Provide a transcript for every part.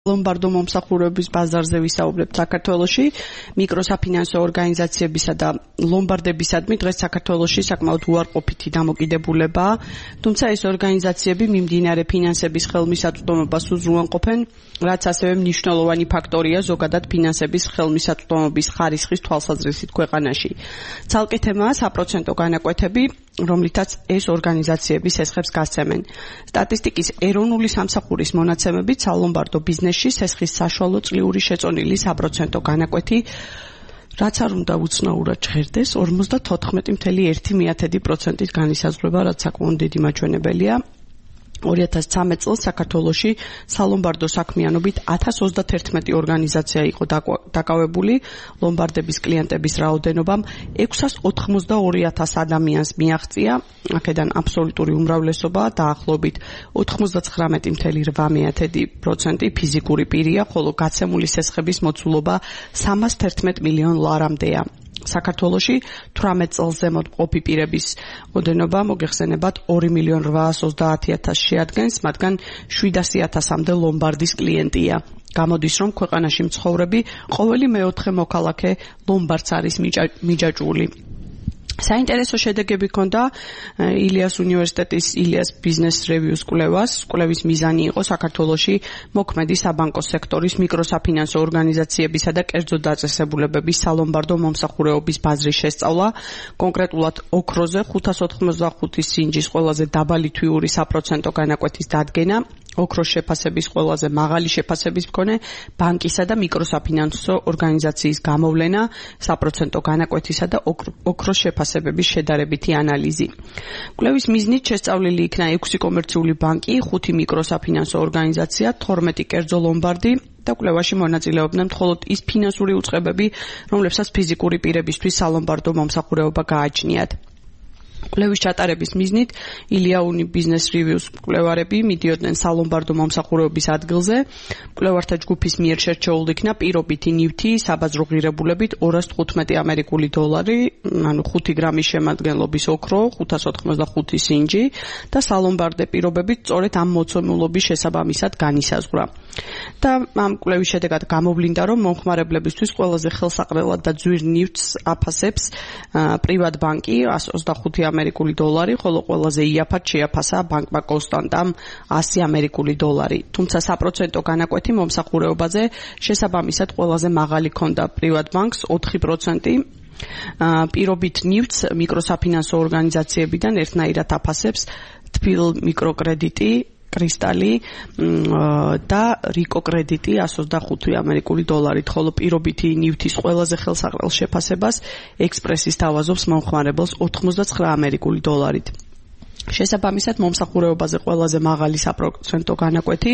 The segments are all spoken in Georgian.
ლომბარდო მომსახურების ბაზარზე ვისაუბრებთ საქართველოში, მიკროსაფინანსო ორგანიზაციებისა და ლომბარდებისადმი დღეს საქართველოში საკმაოდ უარყოფითი დამოკიდებულებაა, თუმცა ეს ორგანიზაციები მიმდინარე ფინანსების ხელმისაწვდომობას უზრუნველყოფენ, რაც ასევე მნიშვნელოვანი ფაქტორია ზოგადად ფინანსების ხელმისაწვდომობის ხარისხის თვალსაზრისით ქვეყანაში. ცალკე თემაა საპროცენტო განაკვეთები, რომლითაც ეს ორგანიზაციები სესხებს გასცემენ. სტატისტიკის ეროვნული სამსახურის მონაცემებით სალომბარდო ბიზნესში სესხის საშუალო წლიური შეწონილი საპროცენტო განაკვეთი, რაც არ უნდა უცნაურად ჟღერდეს, 54.1%-ით განისაზღვრება, რაც საკმაოდ დიდი მაჩვენებელია. 2013 წელს საქართველოში სალომბარდო საქმიანობით 1031 ორგანიზაცია იყო დაკავებული, ლომბარდების კლიენტების რაოდენობამ 682,000 ადამიანს მიაღწია, აქედან აბსოლუტური უმრავლესობა დაახლოებით 99.8% ფიზიკური პირია, ხოლო გაცემული სესხების მოცულობა 311 მილიონ ლარამდეა. საქართველოში 18 წელს ზემოთ მყოფი პირების ოდენობა მოგეხსენებათ 2,830,000 შეადგენს, მათგან 700,000-მდე ლომბარდის კლიენტია. გამოდის, რომ ქვეყანაში მცხოვრები ყოველი მეოთხე მოქალაქე ლომბარდს არის მიჯაჭვული. საინტერესო შედეგები ჰქონდა ილიას უნივერსიტეტის ილიას ბიზნეს რევიუს კვლევას. კვლევის მიზანი იყო საქართველოში მოქმედი საბანკო სექტორის მიკროსაფინანსო ორგანიზაციებისა და კერძო დაწესებულებების სალომბარდო მომსახურეობის ბაზრის შესწავლა, კონკრეტულად ოქროზე 585 სინჯის ყველაზე დაბალი თვიური საპროცენტო განაკვეთის დადგენა, ოქროს შეფასების ყველაზე მაღალი შეფასების მქონე ბანკისა და მიკროსაფინანსო ორგანიზაციის გამოვლენა, საპროცენტო განაკვეთისა და ოქროს შეფასებების შედარებითი ანალიზი. კვლევის მიზნით შესწავლილი იქნა 6 კომერციული ბანკი, 5 მიკროსაფინანსო ორგანიზაცია, 12 კერძო ლომბარდი და კვლევაში მონაწილეობდნენ მხოლოდ ის ფინანსური უწყებები, რომლებსაც ფიზიკური პირებისთვის სალომბარდო მომსახურება გააჩნიათ. კვლევის ჩატარების მიზნით ილია უნი ბიზნეს რივიუს კვლევარები მიდიოდნენ სალომბარდო მომსახურების ადგილზე. კვლევართა ჯგუფის მიერ შერჩეულ იქნა პირობითი ნივთი საბაზრო ღირებულებით 215 ამერიკული დოლარი, ანუ 5 გრამის შემადგენლობის ოქრო, 585 სინჯი და სალომბარდე პირობებით სწორედ ამ მოცემულობის შესაბამისად განისაზღვრა. და ამ კვლევის შედეგად გამოვლინდა, რომ მომხმარებლებისთვის ყველაზე ხელსაყრელად და ძვირ ნივთს აფასებს პრივატ ბანკი 125 ამერიკული დოლარი, ხოლო ყველაზე იაფად შეაფასა ბანკმა კონსტანტამ 100 ამერიკული დოლარი. თუმცა საპროცენტო განაკვეთი მომსახურებაზე შესაბამისად ყველაზე მაღალი ჰქონდა პრივატ ბანკს 4%. პირობით ნივთს მიკროსაფინანსო ორგანიზაციებიდან ერთნაირად აფასებს თბილ მიკროკრედიტი, კრისტალი და რიკო კრედიტი 125 ამერიკული დოლარით, ხოლო პირობითი ნივთის ყველაზე ხელსაყრელ შეფასებას ექსპრესის თავაზობს მომხმარებელს 89 ამერიკული დოლარით. შესაბამისად მომსახურებაზე ყველაზე მაღალი საპროცენტო განაკვეთი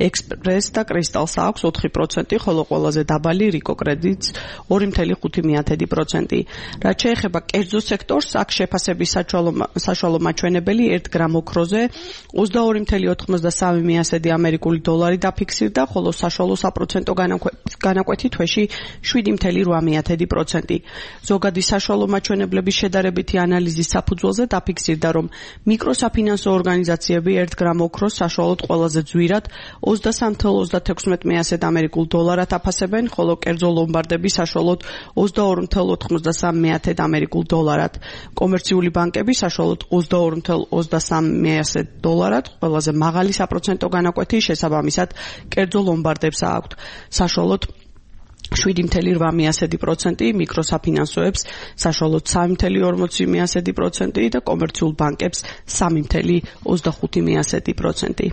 ექსპრეს და კრისტალს აქვს 4%, ხოლო ყველაზე დაბალი რიკო კრედიტს 2.5%. რაც შეეხება კერძო სექტორს, აქ შეფასების საშუალო მაჩვენებელი 1 გრამ ოქროზე 22.93 ამერიკული დოლარი დაფიქსირდა, ხოლო საშუალო საპროცენტო განაკვეთი თვეში 7.8%. ზოგადი საშუალო მაჩვენებლების შედარებითი ანალიზის საფუძველზე დაფიქსირდა, რომ მიკროსაფინანსო ორგანიზაციები 1 გრამ ოქროს საშუალოდ ყველაზე ძვირად 23.16 ამერიკულ დოლარად აფასებენ, ხოლო კერძო ლომბარდები საშუალოდ 22.83 ამერიკულ დოლარად. კომერციული ბანკები საშუალოდ 22.23 დოლარად, ყველაზე მაღალი საპროცენტო განაკვეთი შესაბამისად კერძო ლომბარდებს აქვთ. საშუალოდ 7.8% მიკროსაფინანსოებს, საშუალოდ 3.40% და კომერციულ ბანკებს 3.25%.